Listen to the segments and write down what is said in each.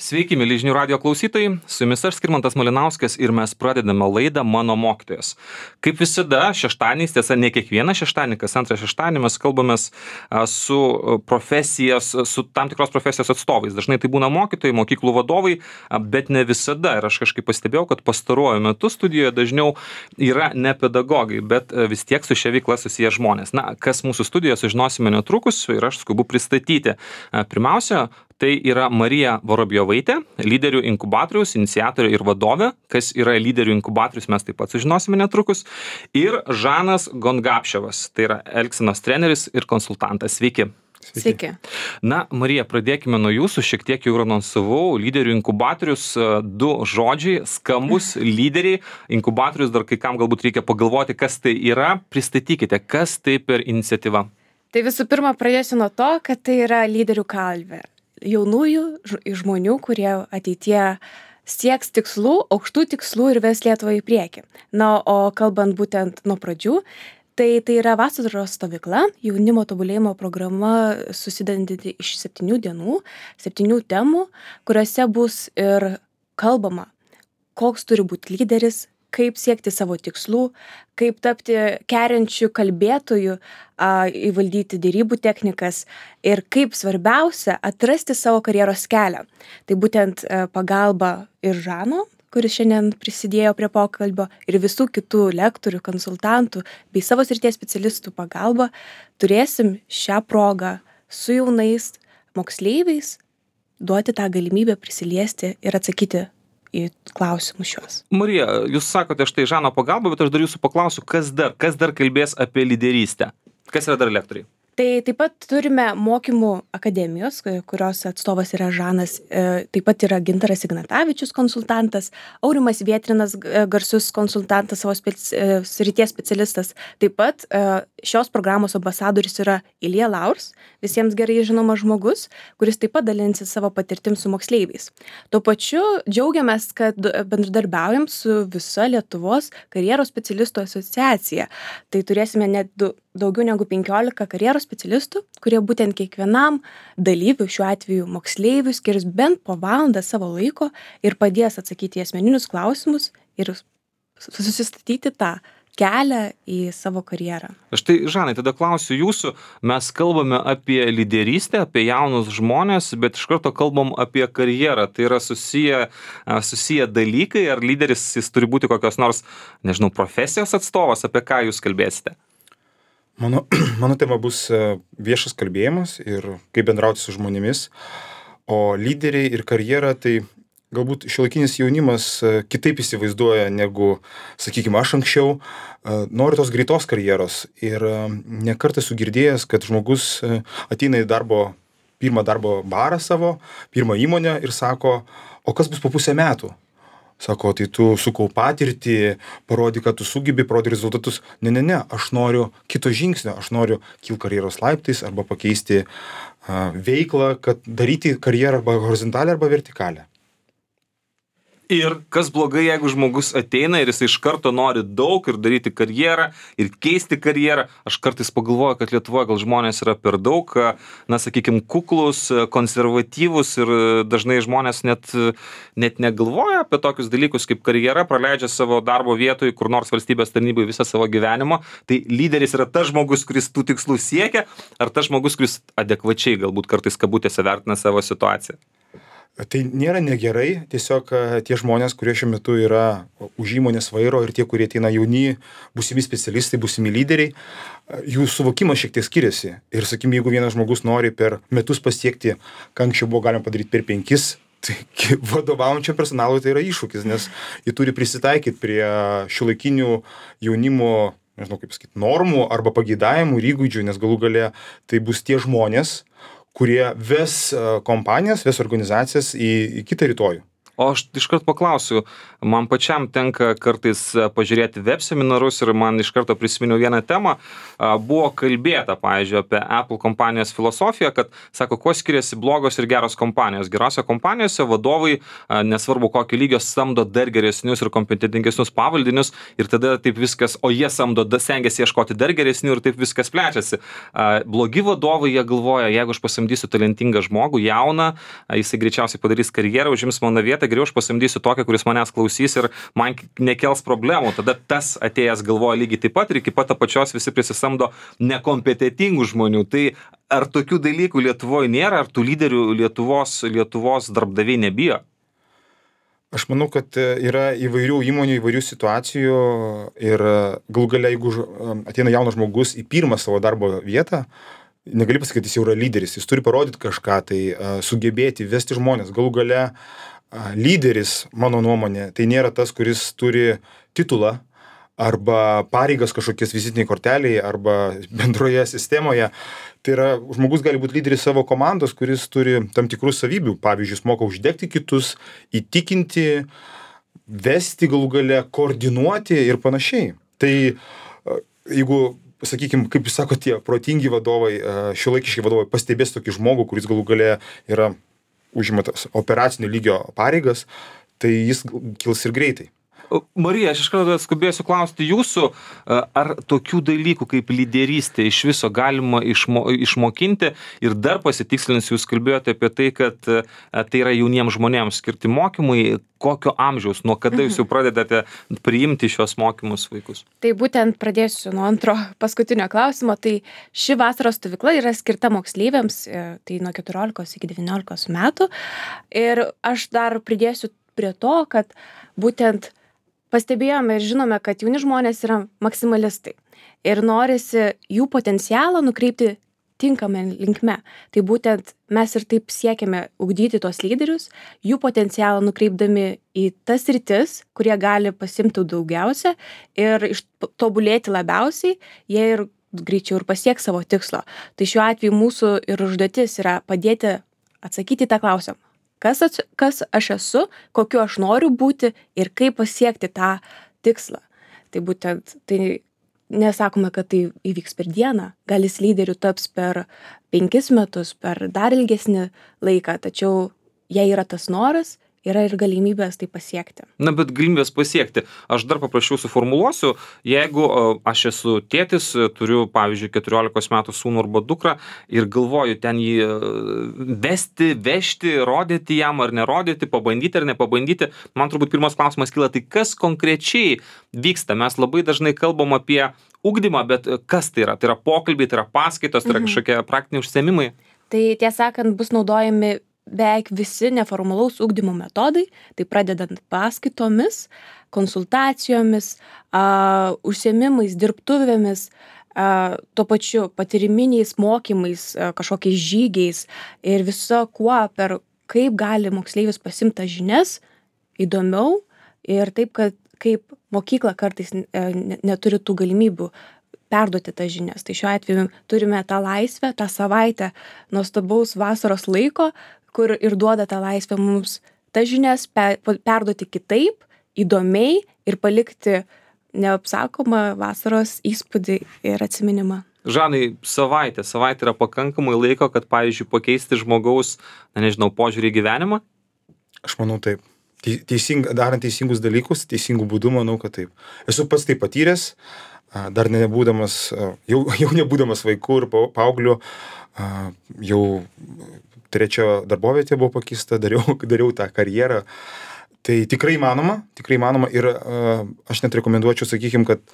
Sveiki, mėly žinių radijo klausytojai, su jumis aš Skirmantas Malinauskas ir mes pradedame laidą Mano mokytojas. Kaip visada, šeštadieniais, tiesa, ne kiekvieną šeštadienį, kas antrą šeštadienį mes kalbamės su tam tikros profesijos atstovais. Dažnai tai būna mokytojai, mokyklų vadovai, bet ne visada. Ir aš kažkaip pastebėjau, kad pastaruoju metu studijoje dažniau yra ne pedagogai, bet vis tiek su šia veikla susiję žmonės. Na, kas mūsų studijoje sužinosime netrukus ir aš skubu pristatyti. Pirmiausia, tai yra Marija Vorobjovaitė, lyderių inkubatoriaus iniciatorė ir vadovė. Kas yra lyderių inkubatorius, mes taip pat sužinosime netrukus. Ir Žanas Gongapševas, tai yra elgsenos treneris ir konsultantas. Sveiki. Sveiki. Na, Marija, pradėkime nuo jūsų. Šiek tiek jau ir anonsavau. Lyderių inkubatorius, du žodžiai, skambus lyderiai. Inkubatorius, dar kai kam galbūt reikia pagalvoti, kas tai yra. Pristatykite, kas tai per iniciatyva. Tai visų pirma, pradėsiu nuo to, kad tai yra lyderių kalvė. Jaunųjų žmonių, kurie ateitie sieks tikslų, aukštų tikslų ir ves Lietuvą į priekį. Na, o kalbant būtent nuo pradžių, tai yra vasaros stovykla, jaunimo tobulėjimo programa susidedanti iš 7 dienų, 7 temų, kuriuose bus ir kalbama, koks turi būti lyderis, kaip siekti savo tikslų, kaip tapti keriančių kalbėtojų, įvaldyti derybų technikas ir kaip svarbiausia atrasti savo karjeros kelią. Tai būtent pagalba ir Žano, kuris šiandien prisidėjo prie pokalbio, ir visų kitų lektorių, konsultantų bei savo srities specialistų pagalba turėsim šią progą su jaunais moksleiviais duoti tą galimybę prisiliesti ir atsakyti į klausimus šios. Marija, jūs sakote štai Žano pagalba, bet aš dar jūsų paklausiu, kas dar kalbės apie lyderystę? Kas yra dar lektoriai? Tai taip pat turime mokymų akademijos, kurios atstovas yra Žanas, taip pat yra Gintaras Ignatavičius konsultantas, Aurimas Vietrinas garsus konsultantas, savo srities specialistas. Taip pat šios programos ambasadoris yra Ilja Laurs, visiems gerai žinomas žmogus, kuris taip pat dalinsis savo patirtim su moksleiviais. Tuo pačiu džiaugiamės, kad bendradarbiaujam su visa Lietuvos karjeros specialistų asociacija. Tai turėsime net daugiau negu 15 karjeros specialistų, kurie būtent kiekvienam dalyviui, šiuo atveju moksleiviui, skirs bent po valandą savo laiko ir padės atsakyti į asmeninius klausimus ir susistatyti tą kelią į savo karjerą. Štai, Žanai, tada klausiu jūsų, mes kalbame apie lyderystę, apie jaunus žmonės, bet iš karto kalbam apie karjerą. Tai yra susiję dalykai, ar lyderis jis turi būti kokios nors, nežinau, profesijos atstovas, apie ką jūs kalbėsite? Mano tema bus viešas kalbėjimas ir kaip bendrauti su žmonėmis, o lyderiai ir karjera tai galbūt šiuolaikinis jaunimas kitaip įsivaizduoja negu, sakykime, aš anksčiau, noriu tos greitos karjeros ir ne kartą esu girdėjęs, kad žmogus ateina į pirmą darbo barą savo, pirmą įmonę ir sako, o kas bus po pusę metų? Sako, tai tu sukaup patirtį, parodyk, kad tu sugebi, parodyk rezultatus. Ne, aš noriu kito žingsnio, aš noriu kilti karjeros laiptais arba pakeisti veiklą, kad daryti karjerą arba horizontalią arba vertikalę. Ir kas blogai, jeigu žmogus ateina ir jis iš karto nori daug ir daryti karjerą ir keisti karjerą. Aš kartais pagalvoju, kad Lietuvoje gal žmonės yra per daug, na, sakykime, kuklus, konservatyvus ir dažnai žmonės net negalvoja apie tokius dalykus kaip karjera, praleidžia savo darbo vietoje, kur nors valstybės tarnybai visą savo gyvenimą. Tai lyderis yra tas žmogus, kuris tų tikslų siekia, ar tas žmogus, kuris adekvačiai galbūt kartais kabutėse vertina savo situaciją? Tai nėra negerai, tiesiog tie žmonės, kurie šiuo metu yra už įmonės vairo ir tie, kurie ateina jauni, būsimi specialistai, būsimi lyderiai, jų suvokimas šiek tiek skiriasi. Ir, sakykime, jeigu vienas žmogus nori per metus pasiekti, ką anksčiau buvo galima padaryti per 5, tai vadovaujančio personalui tai yra iššūkis, nes jie turi prisitaikyti prie šiuolaikinių jaunimo, nežinau kaip sakyti, normų arba pageidavimų ir įgūdžių, nes galų gale tai bus tie žmonės, kurie ves kompanijas, ves organizacijas į kitą rytojų. O aš iškart paklausiu, man pačiam tenka kartais pažiūrėti web seminarus ir man iš karto prisiminiau vieną temą. Buvo kalbėta, pavyzdžiui, apie Apple kompanijos filosofiją, kad, sako, kuo skiriasi blogos ir geros kompanijos. Gerose kompanijose vadovai, nesvarbu kokio lygio, samdo dar geresnius ir kompetentingesnius pavaldinius ir tada taip viskas, o jie samdo, stengiasi ieškoti dar geresnių ir taip viskas plečiasi. Blogi vadovai, jie galvoja, jeigu aš pasamdysiu talentingą žmogų, jauną, jisai greičiausiai padarys karjerą, užims mano vietą, geriau aš pasamdysiu tokį, kuris manęs klausys ir man nekels problemų. Tada tas atėjęs galvoja lygiai taip pat ir iki pat apačios visi prisisamdo nekompetentingų žmonių. Tai ar tokių dalykų Lietuvoje nėra, ar tų lyderių Lietuvos darbdaviai nebijo? Aš manau, kad yra įvairių įmonių, įvairių situacijų ir galų gale, jeigu ateina jaunas žmogus į pirmą savo darbo vietą, negali pasakyti, jis jau yra lyderis, jis turi parodyti kažką, tai sugebėti vesti žmonės. Galų gale lyderis, mano nuomonė, tai nėra tas, kuris turi titulą arba pareigas kažkokias vizitiniai korteliai arba bendroje sistemoje. Tai yra, žmogus gali būti lyderis savo komandos, kuris turi tam tikrų savybių. Pavyzdžiui, jis moka uždegti kitus, įtikinti, vesti galų gale, koordinuoti ir panašiai. Tai jeigu, sakykime, kaip jūs sakote, tie protingi vadovai, šiuolaikiški vadovai pastebės tokį žmogų, kuris galų gale yra užimatas operacinio lygio pareigas, tai jis kils ir greitai. Marija, aš iš karto skubėsiu klausti jūsų, ar tokių dalykų kaip lyderystė iš viso galima išmokinti ir dar pasitikslinus, jūs kalbėjote apie tai, kad tai yra jauniems žmonėms skirti mokymai, kokio amžiaus, nuo kada jūs jau pradedate priimti šios mokymus vaikus? Tai būtent pradėsiu nuo antro paskutinio klausimo. Tai ši vasaros stovykla yra skirta moksleiviams, tai nuo 14 iki 19 metų. Ir aš dar pridėsiu prie to, kad būtent pastebėjome ir žinome, kad jauni žmonės yra maksimalistai ir norisi jų potencialą nukreipti tinkamą linkme. Tai būtent mes ir taip siekiame ugdyti tos lyderius, jų potencialą nukreipdami į tas sritis, kurie gali pasimti daugiausia ir tobulėti labiausiai, jie ir greičiau ir pasieks savo tikslo. Tai šiuo atveju mūsų ir užduotis yra padėti atsakyti į tą klausimą. Kas aš esu, kokiu aš noriu būti ir kaip pasiekti tą tikslą. Tai būtent, tai nesakome, kad tai įvyks per dieną. Gal jis lyderiu taps per 5 metus, per dar ilgesnį laiką, tačiau jei yra tas noras, yra ir galimybės tai pasiekti. Na, bet galimybės pasiekti. Aš dar paprašiau suformuluosiu, jeigu aš esu tėtis, turiu, pavyzdžiui, 14 metų sūnų arba dukrą ir galvoju ten jį vesti, vežti, rodyti jam ar nerodyti, pabandyti ar nepabandyti, man turbūt pirmas klausimas kyla, tai kas konkrečiai vyksta? Mes labai dažnai kalbam apie ugdymą, bet kas tai yra? Tai yra pokalbiai, tai yra paskaitos, tai yra kažkokie praktiniai užsiėmimai? Tai tiesą sakant, bus naudojami beveik visi neformalaus ugdymo metodai, tai pradedant paskaitomis, konsultacijomis, užsiėmimais, dirbtuvėmis, tuo pačiu patyriminiais mokymais, kažkokiais žygiais ir viso kuo, per kaip gali moksleivis pasimti žinias įdomiau ir taip, kad kaip mokykla kartais neturi tų galimybių perduoti tas žinias. Tai šiuo atveju turime tą laisvę, tą savaitę nuostabaus vasaros laiko, kur ir duoda tą laisvę mums tas žinias perduoti kitaip, įdomiai ir palikti neapsakomą vasaros įspūdį ir atsiminimą. Žanai, savaitė yra pakankamai laiko, kad, pavyzdžiui, pakeisti žmogaus, požiūrį į gyvenimą? Aš manau taip. Darant teisingus dalykus, teisingų būdų, manau, kad taip. Esu pats tai patyręs, dar nebūdamas, jau nebūdamas vaikų ir paauglių, jau 3 darbovietė buvo pakeista, dariau tą karjerą. Tai tikrai įmanoma ir aš net rekomenduočiau, sakykime, kad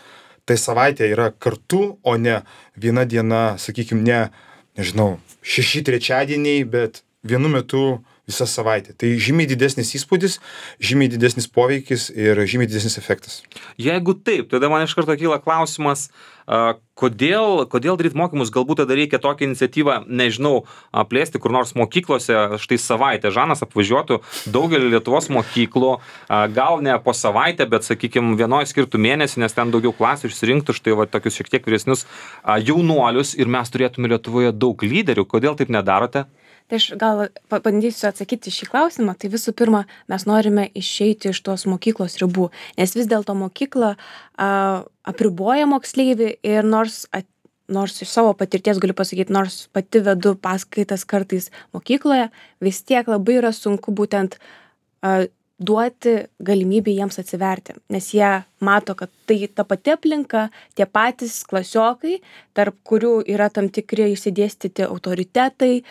tai savaitė yra kartu, o ne viena diena, sakykime, nežinau, 6 trečiadieniai, bet vienu metu visą savaitę. Tai žymiai didesnis įspūdis, žymiai didesnis poveikis ir žymiai didesnis efektas. Jeigu taip, tada man iš karto kyla klausimas, kodėl daryti mokymus, galbūt tada reikia tokią iniciatyvą, plėsti kur nors mokyklose, štai savaitę. Žanas apvažiuotų daugelį Lietuvos mokyklų, gal ne po savaitę, bet, sakykime, vienoje skirtų mėnesį, nes ten daugiau klasių išsirinktų štai tokius šiek tiek vyresnius jaunuolius ir mes turėtume Lietuvoje daug lyderių. Kodėl taip nedarote? Tai aš gal pabandysiu atsakyti šį klausimą. Tai visų pirma, mes norime išeiti iš tos mokyklos ribų, nes vis dėlto mokykla apriboja moksleivį ir nors iš savo patirties galiu pasakyti, nors pati vedu paskaitas kartais mokykloje, vis tiek labai yra sunku būtent duoti galimybę jiems atsiverti, nes jie mato, kad tai ta pati aplinka, tie patys klasiokai, tarp kurių yra tam tikri išsidėstyti autoritetai,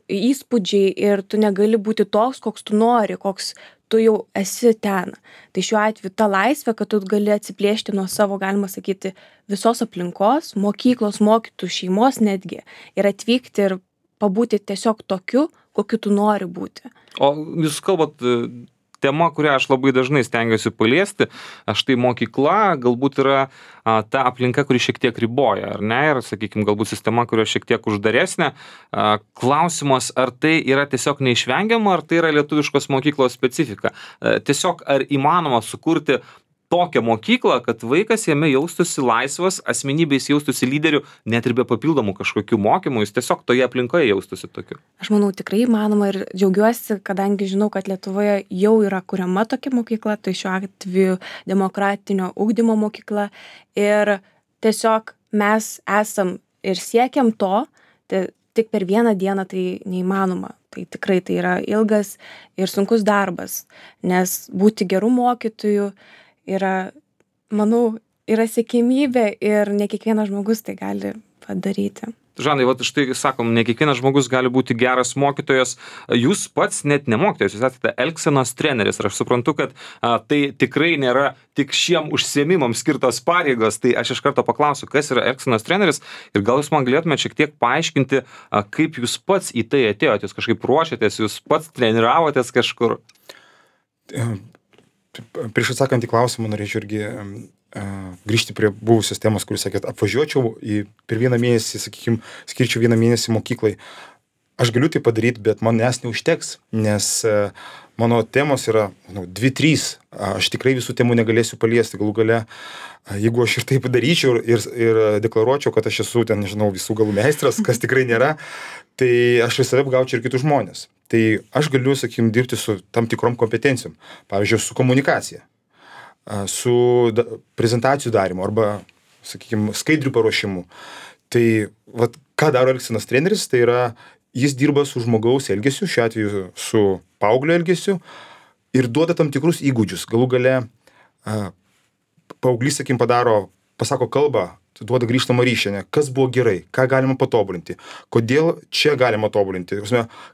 įspūdžiai ir tu negali būti toks, koks tu nori, koks tu jau esi ten. Tai šiuo atveju ta laisvė, kad tu gali atsiplėšti nuo savo, galima sakyti, visos aplinkos, mokyklos, mokytojų, šeimos netgi ir atvykti ir pabūti tiesiog tokiu, kokiu tu nori būti. O jūs kalbat tema, kurią aš labai dažnai stengiuosi paliesti, štai mokykla galbūt yra ta aplinka, kuri šiek tiek riboja, ar ne? Ir, sakykime, galbūt sistema, kuri šiek tiek uždaresnė. Klausimas, ar tai yra tiesiog neišvengiama, ar tai yra lietuviškos mokyklos specifika? Tiesiog, ar įmanoma sukurti tokią mokyklą, kad vaikas jame jaustųsi laisvas, asmenybės jaustųsi lyderiu, net ir be papildomų kažkokių mokymų, jis tiesiog toje aplinkoje jaustųsi tokiu. Aš manau, tikrai įmanoma ir džiaugiuosi, kadangi žinau, kad Lietuvoje jau yra kuriama tokia mokykla, tai šiuo atveju demokratinio ugdymo mokykla ir tiesiog mes esam ir siekiam to, tai tik per vieną dieną tai neįmanoma. Tai tikrai tai yra ilgas ir sunkus darbas, nes būti gerų mokytojų yra, manau, yra siekiamybė ir ne kiekvienas žmogus tai gali padaryti. Žanai, vat štai sakom, ne kiekvienas žmogus gali būti geras mokytojas. Jūs pats net ne mokytojas, jūs esate elgsenos treneris. Ir aš suprantu, kad tai tikrai nėra tik šiem užsiėmimams skirtos pareigos. Tai aš iš karto paklausiu, kas yra elgsenos treneris ir gal jūs man galėtumėte šiek tiek paaiškinti, kaip jūs pats į tai atėjote, jūs kažkaip ruošiatės, jūs pats treniravotės kažkur. Prieš atsakant į klausimą, norėčiau irgi grįžti prie buvusios temos, kuris sakėt, apvažiuočiau per vieną mėnesį, sakykime, skirčiau vieną mėnesį mokyklai. Aš galiu tai padaryti, bet manęs neužteks, nes mano temos yra 2-3. Aš tikrai visų temų negalėsiu paliesti. Galų gale, jeigu aš ir taip daryčiau ir deklaruočiau, kad aš esu ten, nežinau, visų galų meistras, kas tikrai nėra, tai aš visada apgaučiau ir kitus žmonės. Tai aš galiu, sakykime, dirbti su tam tikrom kompetencijom. Pavyzdžiui, su komunikacija, su prezentacijų darymu arba, sakykime, skaidrių paruošimu. Tai vat, ką daro elgsenos treneris, tai yra, jis dirba su žmogaus elgesiu, šiuo atveju su paauglio elgesiu ir duoda tam tikrus įgūdžius. Galų gale paauglys, sakykime, pasako kalbą, duoda grįžtamą ryšį, kas buvo gerai, ką galima patobulinti, kodėl čia galima tobulinti,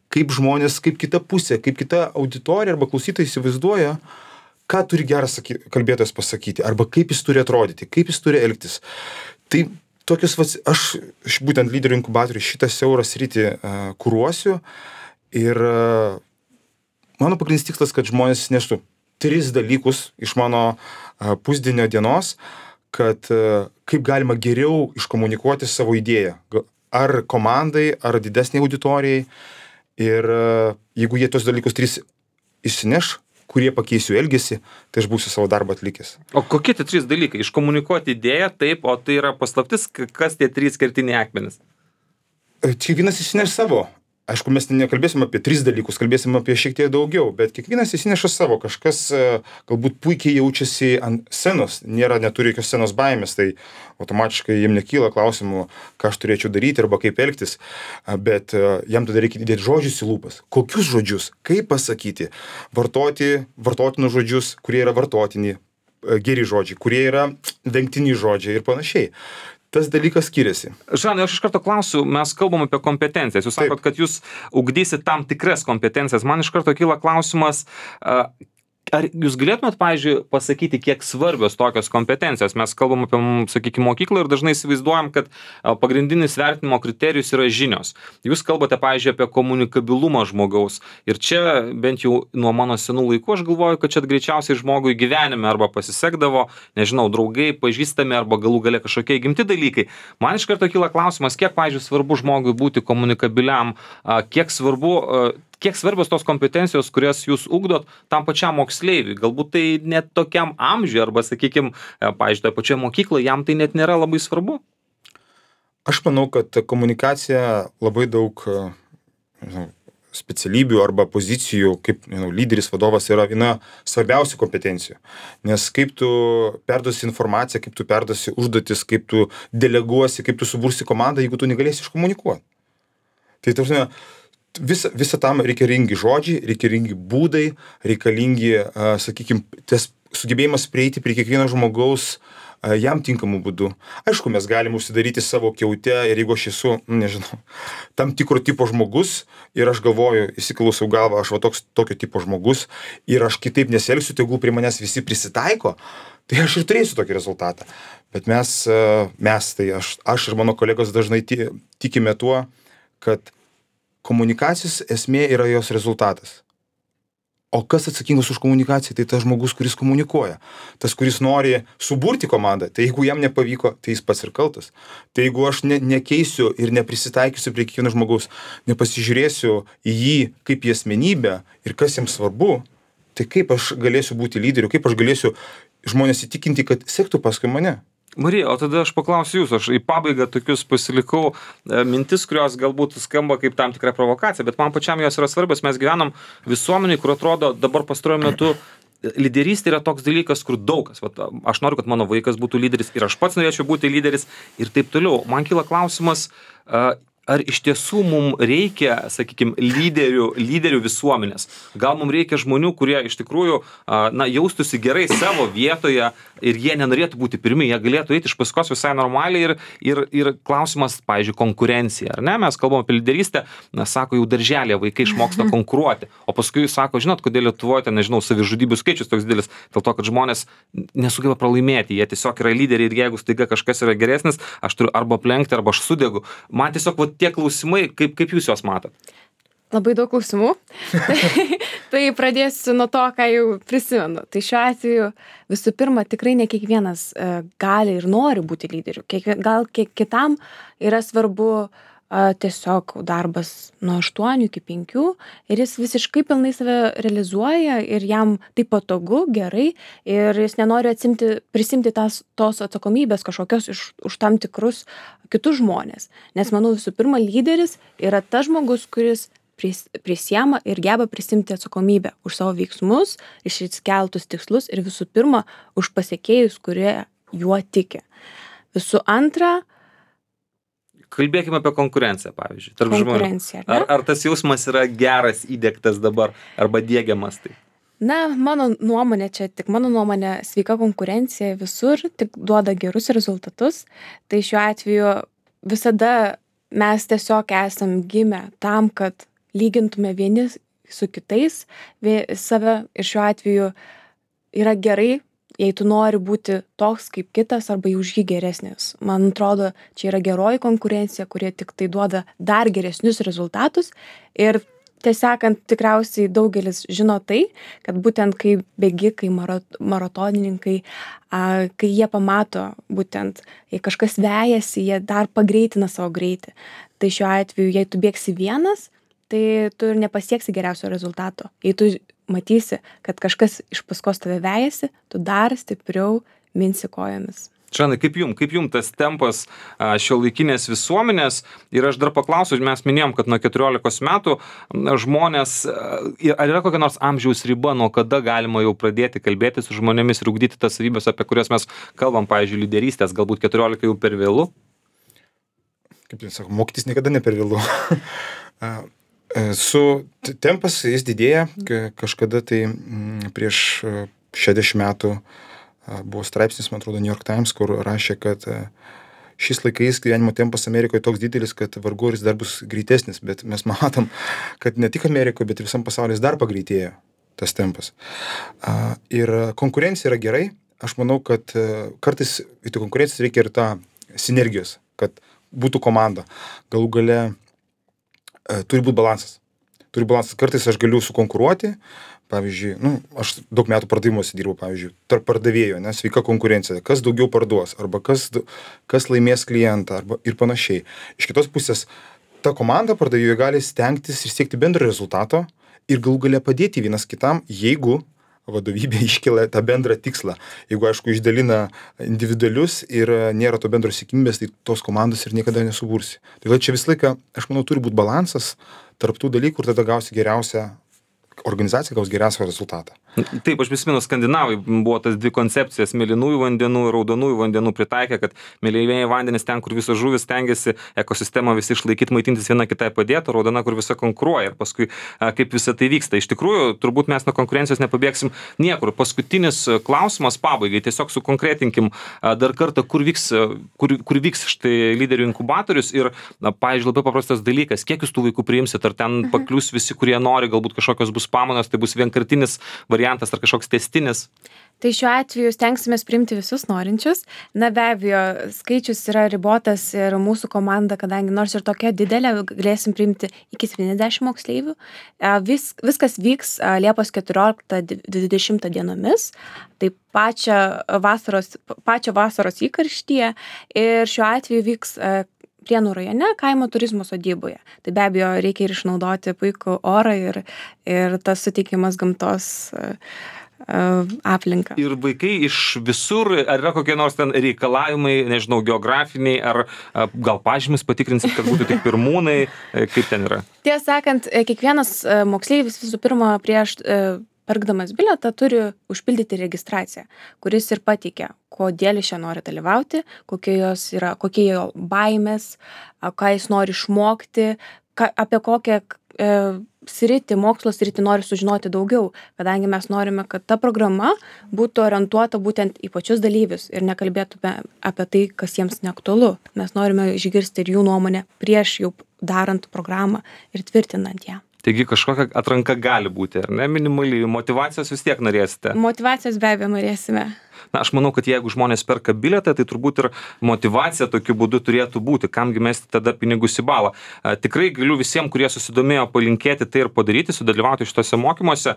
kaip žmonės, kaip kita pusė, kaip kita auditorija arba klausytojai įsivaizduoja, ką turi geras kalbėtojas pasakyti, arba kaip jis turi atrodyti, kaip jis turi elgtis. Tai tokius, aš būtent lyderių inkubatorių šitą siaurą sritį kuruosiu ir mano pagrindinis tikslas, kad žmonės neštų 3 dalykus iš mano pusdienio dienos, kad kaip galima geriau iškomunikuoti savo idėją. Ar komandai, ar didesnei auditorijai. Ir jeigu jie tos dalykus 3 išsineš, kurie pakeisiu elgesį, tai aš būsiu savo darbą atlikęs. O kokie tie 3 dalykai? Iškomunikuoti idėją, taip, o tai yra paslaptis, kas tie 3 kertiniai akmenys? Kiekvienas išsineš savo. Aišku, mes nekalbėsim apie 3 dalykus, kalbėsim apie šiek tiek daugiau, bet kiekvienas įsineša savo, kažkas galbūt puikiai jaučiasi ant scenos, neturi jokios scenos baimės, tai automatiškai jiem nekyla klausimų, ką aš turėčiau daryti arba kaip elgtis, bet jam tada reikia įdėti žodžius į lūpas. Kokius žodžius, kaip pasakyti, vartotinus žodžius, kurie yra vartotini, geri žodžiai, kurie yra vengtini žodžiai ir panašiai. Tas dalykas skiriasi. Žanai, aš iš karto klausiu, mes kalbam apie kompetencijas. Jūs sakot, kad jūs ugdysit tam tikras kompetencijas. Man iš karto kyla klausimas, ar jūs galėtumėt, pavyzdžiui, pasakyti, kiek svarbios tokios kompetencijos? Mes kalbam apie, sakykime, mokyklą ir dažnai įsivaizduojam, kad pagrindinis vertinimo kriterijus yra žinios. Jūs kalbate, pavyzdžiui, apie komunikabilumą žmogaus. Ir čia, bent jau nuo mano senų laikų, aš galvoju, kad čia greičiausiai žmogui gyvenime arba pasisekdavo, nežinau, draugai, pažįstami arba galų gale kažkokie įgimti dalykai. Man iš karto kyla klausimas, kiek, pavyzdžiui, svarbu žmogui būti komunikabiliam, kiek svarbios tos kompetencijos, kurias jūs ugdot tam pačiam moksleiviui. Galbūt tai net tokiam amžiui arba, sakykime, pavyzdžiui, toje pačioje mokykloje jam tai net nėra labai svarbu. Aš manau, kad komunikacija labai daug specialybių arba pozicijų, kaip lyderis, vadovas yra viena svarbiausių kompetencijų. Nes kaip tu perduosi informaciją, kaip tu perduosi užduotis, kaip tu deleguosi, kaip tu subursi komandą, jeigu tu negalėsi iškomunikuoti. Tai tarsi, visą tam reikalingi žodžiai, reikalingi būdai, reikalingi, sakykime, tas sugebėjimas prieiti prie kiekvieno žmogaus jam tinkamų būdų. Aišku, mes galim užsidaryti savo kiaute ir jeigu aš esu, nežinau, tam tikro tipo žmogus ir aš galvoju, įsiklausau galvą, aš tokio tipo žmogus ir aš kitaip nesielgsiu, tegul prie manęs visi prisitaiko, tai aš ir turėsiu tokį rezultatą. Bet tai aš ir mano kolegos dažnai tikime tuo, kad komunikacijos esmė yra jos rezultatas. O kas atsakingas už komunikaciją? Tai tas žmogus, kuris komunikuoja. Tas, kuris nori suburti komandą. Tai jeigu jam nepavyko, tai jis pats ir kaltas. Tai jeigu aš nekeisiu ir neprisitaikysiu prie kiekvieno žmogaus, nepasižiūrėsiu į jį kaip į asmenybę ir kas jam svarbu, tai kaip aš galėsiu būti lyderiu, kaip aš galėsiu žmonės įtikinti, kad sektų paskui mane. Marija, o tada aš paklausiu jūsų, aš į pabaigą tokius pasilikau mintis, kurios galbūt skamba kaip tam tikra provokacija, bet man pačiam jos yra svarbios. Mes gyvenam visuomeniai, kur atrodo dabar pastaruoju metu lyderystė yra toks dalykas, kur daug kas. Aš noriu, kad mano vaikas būtų lyderis ir aš pats norėčiau būti lyderis ir taip toliau. Man kyla klausimas, ar iš tiesų mums reikia, sakykime, lyderių visuomenės? Gal mums reikia žmonių, kurie iš tikrųjų jaustųsi gerai savo vietoje ir jie nenorėtų būti pirmi, jie galėtų eiti iš paskos visai normaliai ir klausimas, pavyzdžiui, konkurencija, ar ne? Mes kalbam apie lyderystę, sako, jau darželėje vaikai išmoksta konkuruoti, o paskui sako, žinot, kodėl Lietuvoje, nežinau, savižudybių skaičius toks didelis, dėl to, kad žmonės nesugeba pralaimėti, jie tiesiog yra lyderiai ir jeigu staiga kažkas yra geresnis, aš turiu arba aplenkti, arba aš sudegu. Man tiesiog tie klausimai, kaip jūs juos matot? Labai daug klausimų. Tai pradėsiu nuo to, ką jau prisimenu. Tai šiuo atveju visų pirma, tikrai ne kiekvienas gali ir nori būti lyderiu. Gal kitam yra svarbu tiesiog darbas nuo 8 iki 5 ir jis visiškai pilnai save realizuoja ir jam tai patogu, gerai ir jis nenori prisimti tos atsakomybės kažkokios už tam tikrus kitus žmonės. Nes manau visų pirma lyderis yra tas žmogus, kuris prisiema ir geba prisimti atsakomybę už savo veiksmus, išsikeltus tikslus ir visų pirma už pasiekėjus, kurie juo tiki. Visų antra, kalbėkime apie konkurenciją, pavyzdžiui, tarp žmonių. Ar tas jausmas yra geras įdiegtas dabar arba diegiamas tai? Na, mano nuomonė, sveika konkurencija visur tik duoda gerus rezultatus. Tai šiuo atveju visada mes tiesiog esam gimę tam, kad lygintume vieni su kitais save ir šiuo atveju yra gerai, jei tu nori būti toks kaip kitas arba už jį geresnis. Man atrodo, čia yra geroji konkurencija, kurie tik tai duoda dar geresnius rezultatus ir tiesiog tikriausiai daugelis žino tai, kad būtent kai bėgikai, maratonininkai, kai jie pamato būtent, jei kažkas vejasi, jie dar pagreitina savo greitį. Tai šiuo atveju, jei tu bėgsi vienas, tai tu ir nepasieksi geriausio rezultato. Jei tu matysi, kad kažkas iš paskos tave vejasi, tu dar stipriau minsi kojomis. Čanai, kaip jum tas tempas šiuolaikinės visuomenės ir aš dar paklausiu, mes minėjom, kad nuo 14 metų žmonės, ar yra kokia nors amžiaus riba, nuo kada galima jau pradėti kalbėti su žmonėmis ir ugdyti tas savybės, apie kurias mes kalbam, pavyzdžiui, lyderystės, galbūt 14 jau per vėlu? Kaip jis sako, mokytis niekada ne per vėlu. Tempas jis didėja, kažkada tai prieš 60 metų buvo straipsnis, man atrodo, New York Times, kur rašė, kad šiais laikais gyvenimo tempas Amerikoje toks didelis, kad vargu ar jis dar bus greitesnis, bet mes matom, kad ne tik Amerikoje, bet ir visam pasaulyje dar pagreitėjo tas tempas. Ir konkurencija yra gerai, aš manau, kad kartais į konkurencijas reikia ir tą sinergijos, kad būtų komanda. Galų gale turi būti balansas. Kartais aš galiu sukonkuruoti, pavyzdžiui, aš daug metų pardavimuose dirbu, pavyzdžiui, tarp pardavėjų, sveika konkurencija, kas daugiau parduos, arba kas laimės klientą, arba ir panašiai. Iš kitos pusės, ta komanda pardavėjų gali stengtis ir siekti bendro rezultato ir galų gale padėti vienas kitam, jeigu vadovybė iškelia tą bendrą tikslą. Jeigu, aišku, išdalina individualius ir nėra to bendros sėkmybės, tai tos komandos ir niekada nesubursi. Tai čia visą laiką, aš manau, turi būti balansas tarp tų dalykų ir tada gausi geriausią, organizacija gaus geriausią rezultatą. Taip, aš prisimenu, skandinavai buvo tas dvi koncepcijas mėlynųjų vandenų ir raudonųjų vandenų pritaikė, kad mėlynieji vandenys ten, kur visos žuvis stengiasi ekosistemą visi išlaikyti, maitintis viena kitai padėti, raudona, kur visa konkuruoja ir paskui kaip visa tai vyksta. Iš tikrųjų, turbūt mes nuo konkurencijos nepabėgsim niekur. Paskutinis klausimas pabaigai, tiesiog sukonkretinkim dar kartą, kur vyks štai lyderių inkubatorius ir, pavyzdžiui, labai paprastas dalykas, kiek jūs tų vaikų priimsit, ar ten paklius visi, kurie nori, galbūt kažkokios bus pamainos, tai bus vienkartinis variantas ar kažkoks tęstinis? Tai šiuo atveju stengsimės priimti visus norinčius. Na, be abejo, skaičius yra ribotas ir mūsų komanda, kadangi nors ir tokia didelė, galėsim priimti iki 70 moksleivių. Viskas vyks Liepos 14-20 dienomis, tai pačią vasaros įkarštyje ir šiuo atveju vyks Prienų rajone kaimo turizmo sodyboje. Tai be abejo reikia ir išnaudoti puikų orą ir tas suteikimas gamtos aplinką. Ir vaikai iš visur, ar yra kokie nors ten reikalavimai, nežinau, geografiniai, ar gal pažymis patikrinsit, kad būtų tik pirmūnai, kaip ten yra? Tiesą sakant, kiekvienas moksleivis visų pirma prieš pirkdamas bilietą turi užpildyti registraciją, kuris ir pateikia, kodėl jis čia nori dalyvauti, kokie jo baimės, ką jis nori išmokti, apie kokią mokslo sritį nori sužinoti daugiau, kadangi mes norime, kad ta programa būtų orientuota būtent į pačius dalyvius ir nekalbėtume apie tai, kas jiems neaktualu. Mes norime išgirsti ir jų nuomonę prieš jau darant programą ir tvirtinant ją. Taigi kažkokia atranka gali būti, ar ne? Minimaliai motyvacijos vis tiek norėsite? Motyvacijos be abejo norėsime. Na, aš manau, kad jeigu žmonės perka bilietą, tai turbūt ir motyvacija tokiu būdu turėtų būti, kamgi mesti tada pinigus į balą. Tikrai galiu visiems, kurie susidomėjo, palinkėti tai ir padaryti, sudalyvauti šitose mokymuose.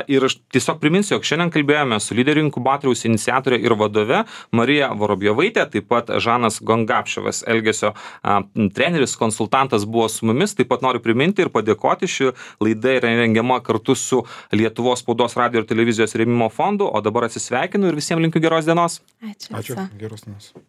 Ir aš tiesiog priminsiu, jog šiandien kalbėjome su lyderių inkubatoriaus iniciatorė ir vadove Marija Vorobjovaitė, taip pat Žanas Gongapševas, elgesio treneris, konsultantas buvo su mumis. Taip pat noriu priminti ir padėkoti, ši laida yra rengiama kartu su Lietuvos spaudos, radijo ir televizijos rėmimo fondu, o dabar atsisveikinu ir visiems linkiu geros dienos. Ačiū. Ačiū. Geros dienos.